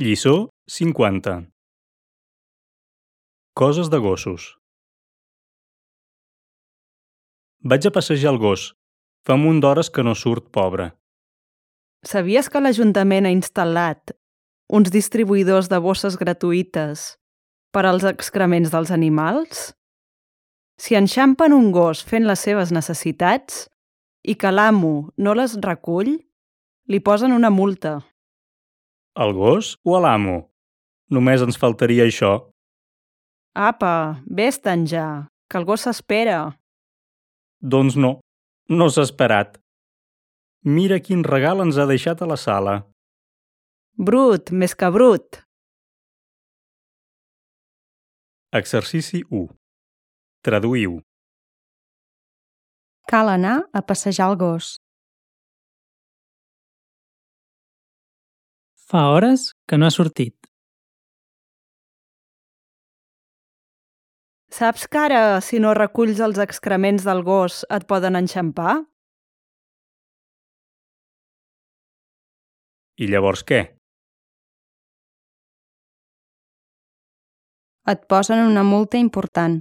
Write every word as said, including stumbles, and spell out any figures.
Lliçó cinquanta. Coses de gossos. Vaig a passejar el gos. Fa un munt d'hores que no surt, pobre. Sabies que l'Ajuntament ha instal·lat uns distribuïdors de bosses gratuïtes per als excrements dels animals? Si enxampen un gos fent les seves necessitats i que l'amo no les recull, li posen una multa. El gos o a l'amo? Només ens faltaria això. Apa, vés-te'n ja, que el gos s'espera. Doncs no, no s'ha esperat. Mira quin regal ens ha deixat a la sala. Brut, més que brut. Exercici u. Traduïu. Cal anar a passejar el gos. Fa hores que no ha sortit. Saps que ara, si no reculls els excrements del gos, et poden enxampar? I llavors què? Et posen una multa important.